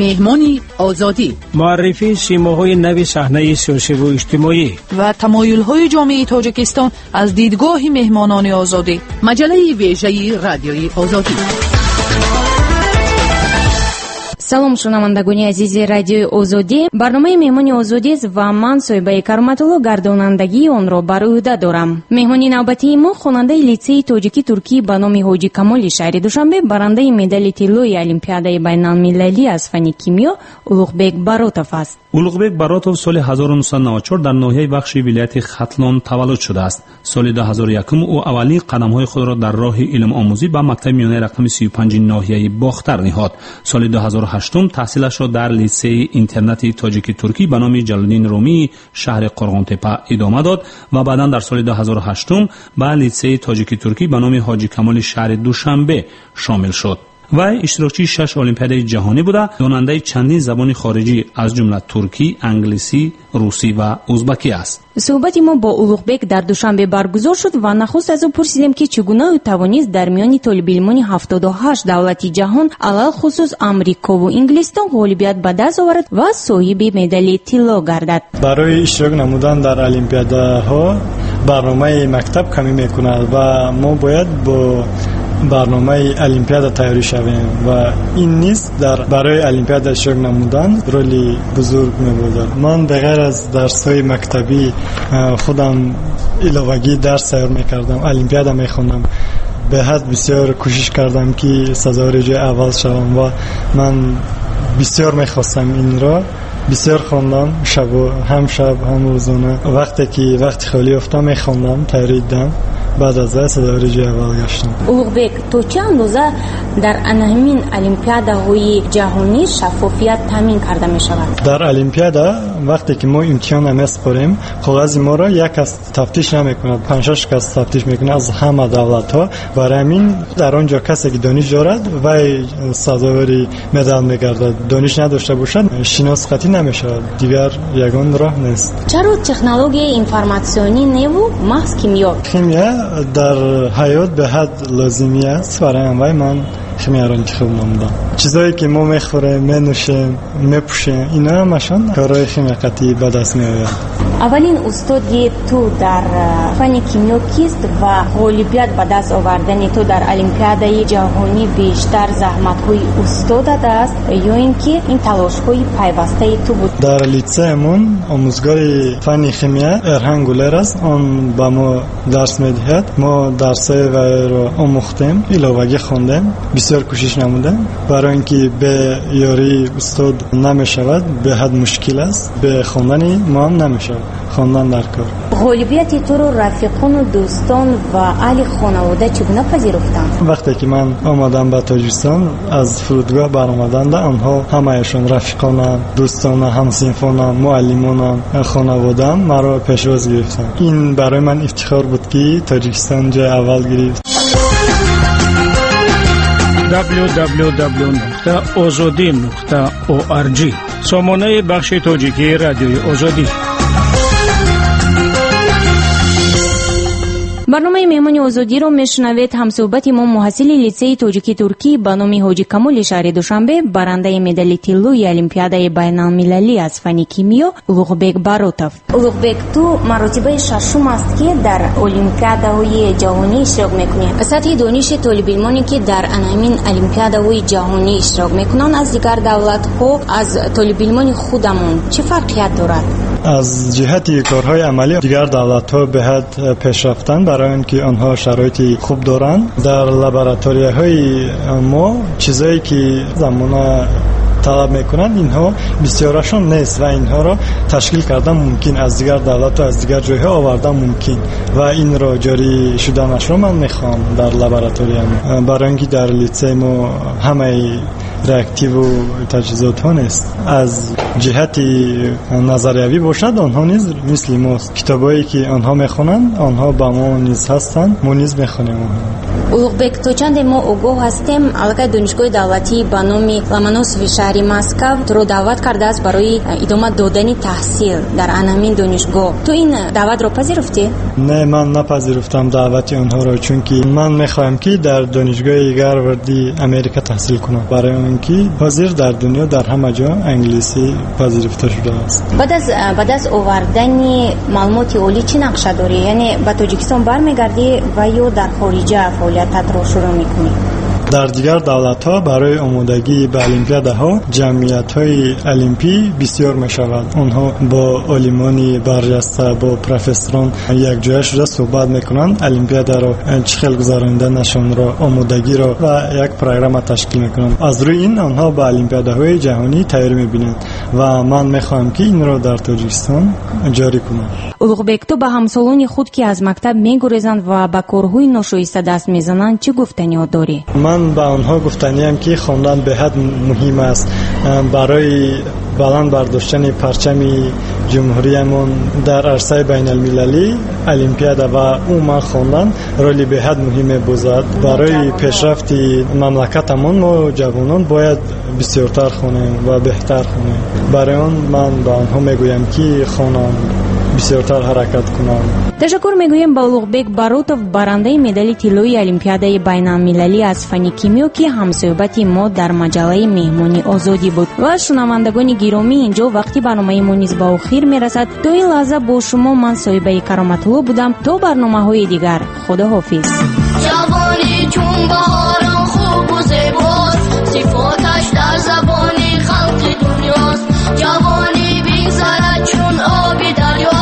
Меҳмони Озодӣ. Муаррифии симоҳои нави саҳнаи сиёсиву иҷтимоӣ ва тамоюлҳои ҷомеаи Тоҷикистон аз дидгоҳи меҳмонони Озодӣ. Маҷаллаи вежаи Радиои Озодӣ. Салом, шунавандагони азизи Радиои Озодӣ. Барномаи Меҳмони Озодист ва ман, Соҳибаи Кароматулло, гардонандагии онро бар ӯҳда дорам. Меҳмони навбатии мо хонандаи литсеи тоҷикӣ-туркӣ ба номи Ҳоҷи Камоли шаҳри Душанбе, барандаи медали тиллои Олимпиадаи байналмилалӣ аз фанни кимиё Улуғбек Баротов аст. Улуғбек Баротов соли 1994 дар ноҳияи Вахши вилояти Хатлон таваллуд шудааст. Соли 2001 ӯ аввалин қадамҳои худро дар роҳи илмомӯзӣ ба мактаби миёнаи рақами 35 ноҳияи Бохтар ниҳод. Соли 2008 таҳсилашро дар литсеи интернати тоҷики-туркӣ ба номи Ҷалолиддин Румии шаҳри Қурғонтепа идома дод ва баъдан дар соли 2008 ба литсеи тоҷики-туркӣ ба номи Ҳоҷи Камоли шаҳри Душанбе шомил шуд. Вай иштирокчии 6 олимпиадаи ҷаҳонӣ буда, донандаи чандин забони хориҷӣ, аз ҷумла туркӣ, англисӣ, русӣ ва узбакӣ аст. Суҳбати мо бо Улуғбек дар Душанбе баргузор шуд ва нахуст аз ӯ пурсидем, ки чӣ гуна ӯ тавонист дар миёни толибилмони 78 давлати ҷаҳон, алалхусус Амрикову Инглистон, ғолибият ба даст оварад ва соҳиби медали тилло гардад. Барои иштирок намудан дар олимпиадаҳо барномаи мактаб камӣ мекунад ва мо бояд бо барномаи олимпиада тайёрӣ шавем ва ин низ дар барои олимпиада иштирок намудан роли бузург мебозад. Ман ба ғайр аз дарсҳои мактабӣ худам иловагӣ дарс тайёр мекардам, олимпиада мехондам. Беҳад бисёр кӯшиш кардам, ки сазовори ҷои аввал шавам ва ман бисёр мехостам инро. Бисёр хондам, шабу ҳам шаб ҳам рӯзона. Вақте ки вақти холӣ ёфтам, мехондам, тайёрӣ дидам. Баъд аз он сазовори ҷои аввал гаштам. Улуғбек, то чӣ андоза дар ҳамин олимпиадаҳои ҷаҳонӣ шаффофият таъмин карда мешавад? Дар олимпиада вақте ки мо имтиҳон месупорем, коғази моро як кас тафтиш намекунад, 5-6 кас тафтиш мекунад аз ҳама давлатҳо. Барои ҳамин дар он ҷо касе ки дониш дорад, вай сазовори медал мегардад. Дониш надошта бошад, шинос қатъӣ намешавад. Дигар ягон роҳ нест. Чаро технологияи информатсионӣ неву маҳз кимиё? Химия дар ҳаёт беҳад лозимӣ аст. Барои ҳамин вай ман химияро интихоб намудам. Чизое ки мо мехӯрем, менӯшем, мепӯшем, ино ҳамашон корҳои химия қатъӣ ба даст меояд. Аввалин устоди ту дар фанни кимиё кист ва ғолибият ба даст овардани ту дар олимпиадаи ҷаҳонӣ бештар заҳматҳои устодат аст ё ин ки ин талошҳои пайвастаи ту буд? Дар литсеямон омӯзгори фанни химия Эрҳан Гулер аст. Он ба мо дарс медиҳад. Мо дарсҳои вайро омӯхтем, иловагӣ хондем, бисёр кӯшиш намудем. Барои ин ки бе ёрии устод намешавад, беҳад мушкил аст. Бе хондани мо ҳам намешавад. Хондан дар кор. Ғолибияти туро рафиқону дӯстон ва аҳли хонавода чӣ гуна пазируфтанд? Вақте ки ман омадам ба Тоҷикистон, аз фурудгоҳ баромаданда онҳо ҳамаашон рафиқонам, дӯстонам, ҳамсинфонам, муаллимонам, хонаводаам маро пешвоз гирифтанд. Ин барои ман ифтихор буд, ки Тоҷикистон ҷои аввал гирифт. www.ozodi.org сомонаи бахши тоҷикии Радиои Озодӣ. Барномаи Меҳмони Озодиро мешунавед. Ҳамсӯҳбати мо муҳассили литсеи тоҷикӣ-туркӣ ба номи Ҳоҷи Камоли шаҳри Душанбе, барандаи медали тиллои Олимпиадаи байналмилалӣ аз фанни кимиё Улуғбек Баротов. Улуғбек, ту маротибаи шашум аст, ки дар олимпиадаҳои ҷаҳонӣ иштирок мекунӣ. Сатҳи дониши толибилмоне, ки дар ҳамин олимпиадаҳои ҷаҳонӣ иштирок мекунанд аз дигар давлатҳо, аз толибилмони худамон чӣ фарқият дорад? Аз ҷиҳати корҳои амалӣ дигар давлатҳо беҳад пешрафтанд, барои он ки онҳо шароити хуб доранд. Дар лабораторияҳои мо чизое ки замона талаб мекунанд, инҳо бисёрашон нест ва инҳоро ташкил кардан мумкин, аз дигар давлату аз дигар ҷойҳо овардан мумкин ва инро ҷорӣ шуданашро ман мехоҳам дар лабораториям. Барои он ки дар литсеи мо ҳамаи реактиву таҷҳизотҳо нест. Аз ҷиҳати назариявӣ бошад, онҳо низ мисли мост. Китобҳое ки онҳо мехонанд, онҳо ба мо низ ҳастанд, мо низ мехонем онҳо. Улуғбек, то чанде мо огоҳ ҳастем, аллакай донишгоҳи давлатӣ ба номи Ломоносови шаҳри Москав туро даъват кардааст барои идома додани таҳсил дар ан ҳамин донишгоҳ. Ту ин даъватро пазируфтӣ? Не, ман напазируфтам даъвати онҳоро, чунки ман мехоҳам, ки дар донишгоҳи Гарварди Америка таҳсил кунам, барои он ки ҳозир дар дунё дар ҳама ҷо англисӣ пазируфта шудааст. Баъд аз ба даст овардани маълумоти олӣ чӣ нақша дорӣ? Яъне ба Тоҷикистон бармегардӣ ва ё дар хориҷа фаъолиятатро шурӯъ мекунӣ? Дар дигар давлатҳо барои омодагӣ ба олимпиадаҳо ҷамъиятҳои олимпӣ бисёр мешавад. Онҳо бо олимони барҷаста, бо профессорон якҷоя шуда суҳбат мекунанд, олимпиадаро чӣ хел гузарониданашонро, омодагиро ва як программа ташкил мекунанд. Аз рӯи ин онҳо ба олимпиадаҳои ҷаҳонӣ тайёрӣ мебинанд ва ман мехоҳам, ки инро дар Тоҷикистон ҷорӣ кунам. Улуғбек, ту ба ҳамсолони худ, ки аз мактаб мегурезанд ва ба корҳои ношоиста даст мезананд, чӣ гуфтаниҳо дорӣ? Ман ба онҳо гуфтаниям, ки хондан беҳад муҳим аст. Барои баланд бардоштани парчами ҷумҳуриямон дар арсаи байналмилалӣ олимпиада ва умуман хондан роли беҳад муҳим мебозад. Барои пешрафти мамлакатамон мо ҷавонон бояд бисёртар хонем ва беҳтар хонем. Барои он ман ба онҳо мегӯям, ки хонанд, бисёртар ҳаракат кунанд. Ташаккур мегӯем ба Улуғбек Баротов, барандаи медали тиллои олимпиадаи байналмилалӣ аз фанни кимиё, ки ҳамсӯҳбати мо дар маҷаллаи Меҳмони Озодӣ буд. Ва шунавандагони гиромӣ, инҷо вақти барномаи мо низ ба охир мерасад. То ин лаҳза бо шумо ман, Соҳибаи Кароматулло, будам. То барномаҳои дигар, худоҳофиз. Ҷавонӣ чун баҳорон хубу зебост, сифоташ дар забони халқи дунёст. Ҷавонӣ бигзарад чун оби дарё,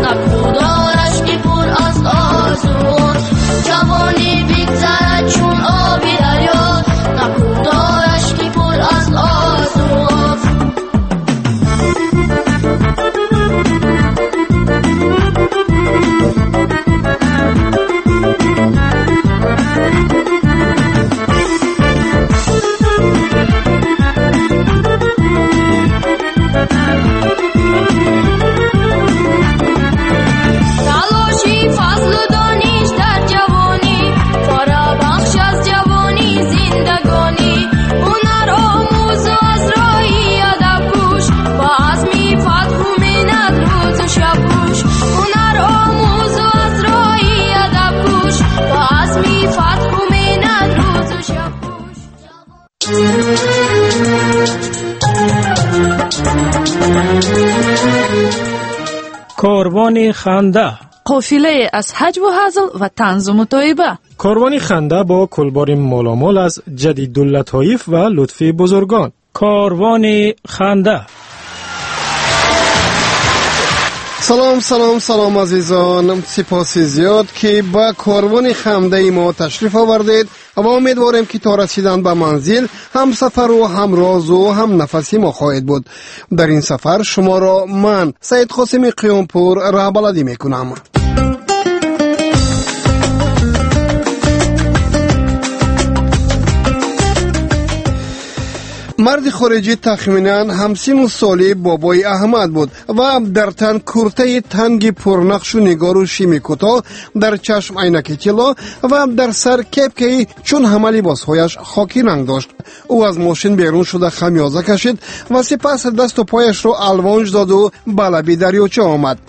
накӯдораш ки пур аз орзуост. Ҷавонӣ бигзарад чун оби дарё, накӯдораш ки пур аз орзуост. Талоши фазлу дониш дар ҷавонӣ фарабахш аз ҷавонӣ зиндагонӣ. Ҳунар омӯзу аз роҳи адаб кӯш, ба азми фатҳу миннат рӯзу шаб кӯш. Ҳунар омӯзу аз роҳи адаб кӯш, ба азми фатҳу миннат рӯзу шаб кӯш. Корвони ханда. Қофилае аз ҳаҷву ҳазл ва танзу мутоиба. Корвони ханда бо кулбори моломол аз Ҷадидуллатоиф ва лутфи бузургон. Корвони ханда. Салом, салом, салом, азизон! Сипоси зиёд, ки ба корвони хандаи мо ташриф овардед ва умедворем, ки то расидан ба манзил ҳамсафару ҳамрозу ҳамнафаси мо хоҳед буд. Дар ин сафар шуморо ман, Саидқосими Қиёмпур, раҳбаладӣ мекунам. Марди хориҷӣ тахминан ҳамсину соли бобои Аҳмад буд ва дар тан куртаи танги пурнақшу нигору шими кӯтоҳ, дар чашм айнаки тилло ва дар сар кепкаи чун ҳама либосҳояш хоки ранг дошт. Ӯ аз мошин берун шуда, хамёза кашид ва сипас дасту пояшро алвонҷ доду ба лаби дарёча омад.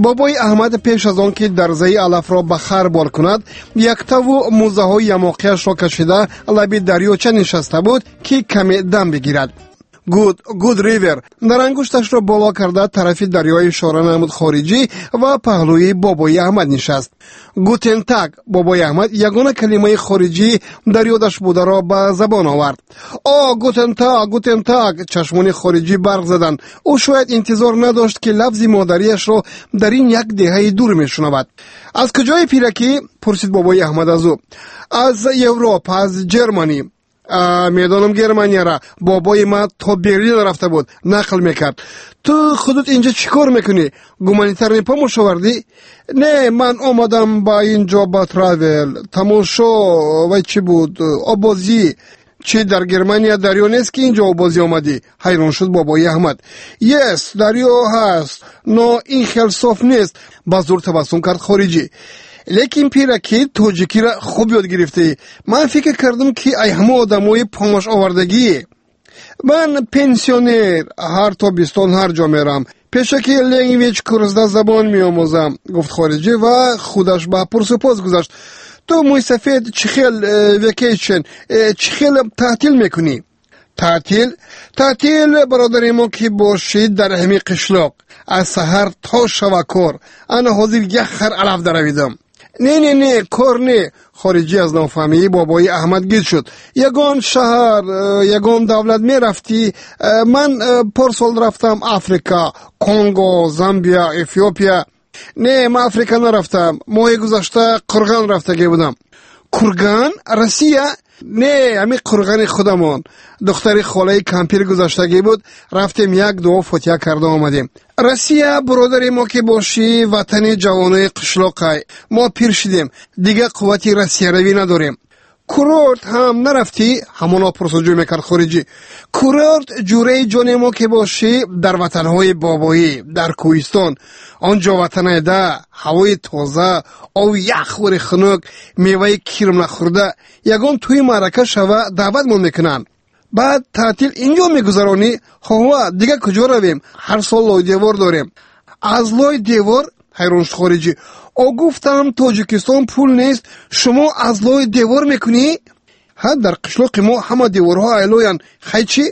Бобои Аҳмад пеш аз он ки дарзаи алафро ба хар бор кунад, яктаву мӯзаҳои ямоқияшро кашида, лаби дарёча нишаста буд, ки каме дам бигирад. «Good, good river», дар ангушташро боло карда, тарафи дарё ишора намуд хориҷӣ ва паҳлӯи бобои Аҳмад нишаст. «Guten Tag», бобои Аҳмад ягона калимаи хориҷӣ дар ёдаш бударо ба забон овард. «О, guten Tag, guten Tag», чашмони хориҷӣ барқ заданд. Ӯ шояд интизор надошт, ки лафзи модариашро дар ин як деҳаи дур мешунавад. «Аз куҷои, пиракӣ?» пурсид бобои Аҳмад аз ӯ. «Аз Европа, аз Ҷерманӣ». «Медонам Германияра, бобои ман то Берлин рафта буд, нақл мекард. Ту худут инҷа чӣ кор мекунӣ? Гуманитарный помощь овардӣ?» «Не, ман омадам ба ин ҷо ба travel, тамошо, вай чӣ буд, оббозӣ». «Чӣ, дар Германия дарё нест, ки инҷо оббозӣ омадӣ?» ҳайрон шуд бобои Аҳмад. «Yes, дарё ҳаст, но ин хел соф нест», ба зур табассум кард хориҷӣ. Лекин пираки тоҷикиро хуб ёд гирифтӣ. Ман фикр кардам, ки ай ҳама одамои помош овардагӣ. Ман пенсионер, ҳар тобистон ҳар ҷо мерам. Пешаки language курсда забон меомӯзам, гуфт хориҷӣ ва худаш ба пурсупос гузашт. Ту мӯйсафед чӣ хел vacation, чӣ хел таътил мекунӣ? Таътил? Таътил, бародари мо, ки бошид дар ҳамин қишлоқ. Аз саҳар то шава кор. Ана ҳозир як хар алаф даравидам. Не, не, не, кор не. Хориҷӣ аз нофаҳмии бобои Аҳмад гид шуд. Ягон шаҳар, ягон давлат мерафтӣ? Ман порсол рафтам Африка, Конго, Замбия, Эфиопия. Не, ман Африка нарафтам. Моҳи гузашта Қурған рафтагӣ будам. Курган? Россия? Не, ҳамин Қурғани худамон. Духтари холаи кампир гузаштагӣ буд, рафтем як дуо фотиҳа карда омадем. Россия, бародари мо, ки бошӣ, ватани ҷавонои қишлоқай. Мо пир шидем, дигар қуввати россияравӣ надорем. Курорт ҳам нарафтӣ? Ҳамоно пурсуҷӯ мекард хориҷӣ. Курорт, ҷураи ҷоне мо, ки бошӣ, дар ватанҳои бобоӣ, дар кӯҳистон. Он ҷо ватанайда, ҳавои тоза, ови яхвори хунук, меваи кирм нахӯрда, ягон тӯи маърака шава даъватмон мекунанд. Баъд таътил инҷо мегузаронӣ? Хоҳва, дигар куҷо равем? Ҳар сол лойдевор дорем. Аз лой девор? Ҳайрон шуд хориҷӣ. О, гуфтам, Тоҷикистон пул нест, шумо аз лои девор мекунӣ? Ҳа, дар қишлоқи мо ҳама деворҳо айлоянд. Хай чӣ?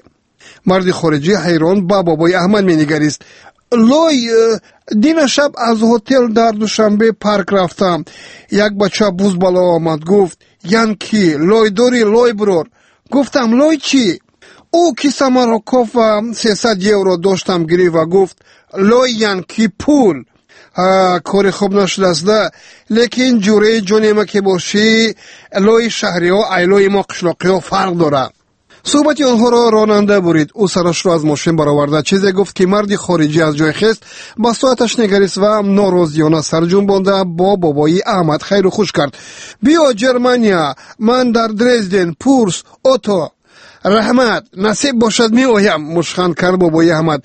Марди хориҷӣ ҳайрон ба бобои Аҳмад менигарист. Лой, дина шаб аз ҳотел дар Душанбе парк рафтам. Як бача буз бало омад, гуфт: Янки, лой дорӣ, лой бурор. Гуфтам: лой чӣ? Ӯ кисамаро кофт ва 300 евро доштам гирифт ва гуфт: лой янки пул. Кори хуб нашудааст, да, лекин ҷураи ҷонема, ки бошӣ, лои шаҳриҳо ай лои мо қишлоқиҳо фарқ дорад. Суҳбати онҳоро ронанда бурид. Ӯ сарашро аз мошин бароварда чизе гуфт, ки марди хориҷӣ аз ҷой хест, ба соаташ нигарист ва норозиёна сарҷунбонда бо бобои Аҳмад хайру хуш кард. Биё Ҷермания, ман дар Дрезден, пурс, ото. Раҳмат, насиб бошад меоям, мушханд кард бобои Аҳмад.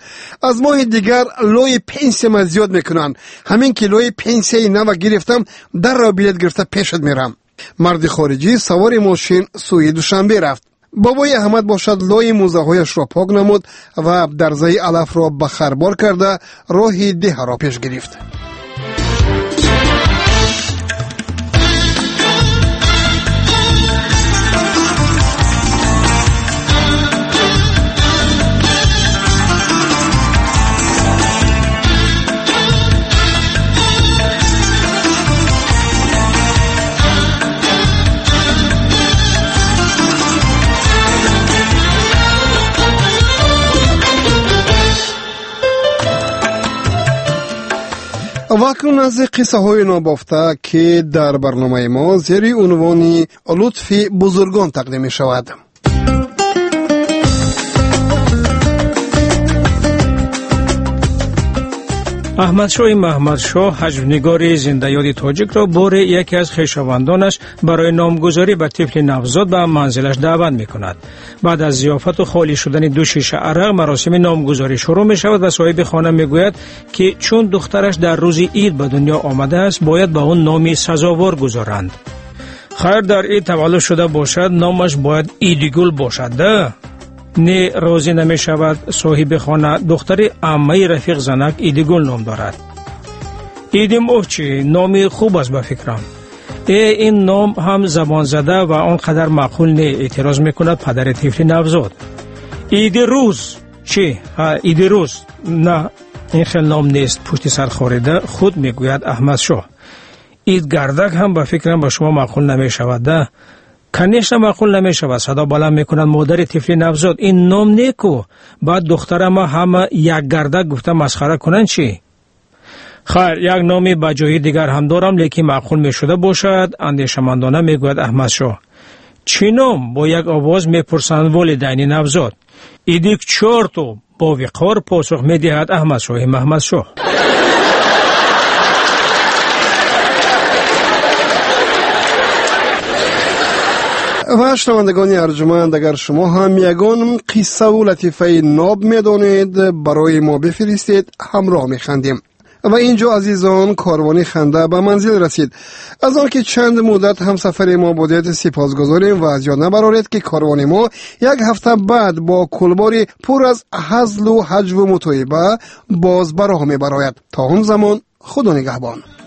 Аз моҳи дигар лои пенсияма зиёд мекунанд. Ҳамин ки лои пенсияи нава гирифтам, дарро билет гирифта пешат мерам. Марди хориҷӣ савори мошин сӯи Душанбе рафт. Бобои Аҳмад бошад лои мӯзаҳояшро пок намуд ва дарзаи алафро ба харбор карда роҳи деҳаро пеш гирифт. Ва акнун аз қиссаҳои нобофта, ки дар барномаи мо зери унвони лутфи бузургон тақдим мешавад. Аҳмадшоҳи Маҳмадшоҳ, ҳаҷвнигори зиндаёди тоҷикро боре яке аз хешовандонаш барои номгузорӣ ба тифли навзод ба манзилаш даъват мекунад. Баъд аз зиёфату холӣ шудани ду шиша арақ маросими номгузорӣ шурӯъ мешавад ва соҳиби хона мегӯяд, ки чун духтараш дар рӯзи ид ба дунё омадааст, бояд ба он номи сазовор гузоранд. Хайр, дар ид таваллуд шуда бошад, номаш бояд Идигул бошад, да? Не, розӣ намешавад соҳиби хона. Духтари аммаи рафиқ занак Идигул ном дорад. Идимоҳ чӣ? Номи хуб аст ба фикрам. Э, ин ном ҳам забонзада ва он қадар маъқул не, эътироз мекунад падари тифли навзод. Иди рӯз чӣ? Ҳа, Иди рӯз. На, ин хел ном нест, пушти сар хорида худ мегӯяд Аҳмадшоҳ. Идгардак ҳам ба фикрам ба шумо маъқул намешавад, да? Конечно, маъқул намешавад, садо баланд мекунад модари тифли навзод. Ин ном неку, баъд духтарама ҳама якгардак гуфта масхара кунанд чӣ? Хайр, як номи ба ҷои дигар ҳам дорам, лекин маъқул мешуда бошад, андешамандона мегӯяд Аҳмадшоҳ. Чӣ ном? Бо як овоз мепурсанд волидайни навзод. Иди к чёрту, бо виқор посух медиҳад Аҳмадшоҳи Маҳмадшоҳ. Ва шунавандагони арҷуманд, агар шумо ҳам ягон қиссаву латифаи ноб медонед, барои мо бифиристед, ҳамроҳ механдем. Ва инҷо, азизон, корвони ханда ба манзил расид. Аз он ки чанд муддат ҳамсафари мо будед, сипосгузорем ва аз ёд набароред, ки корвони мо як ҳафта баъд бо кулбори пур аз ҳазлу ҳаҷву мутоиба боз ба роҳ мебарояд. То он замон, худо нигаҳбон.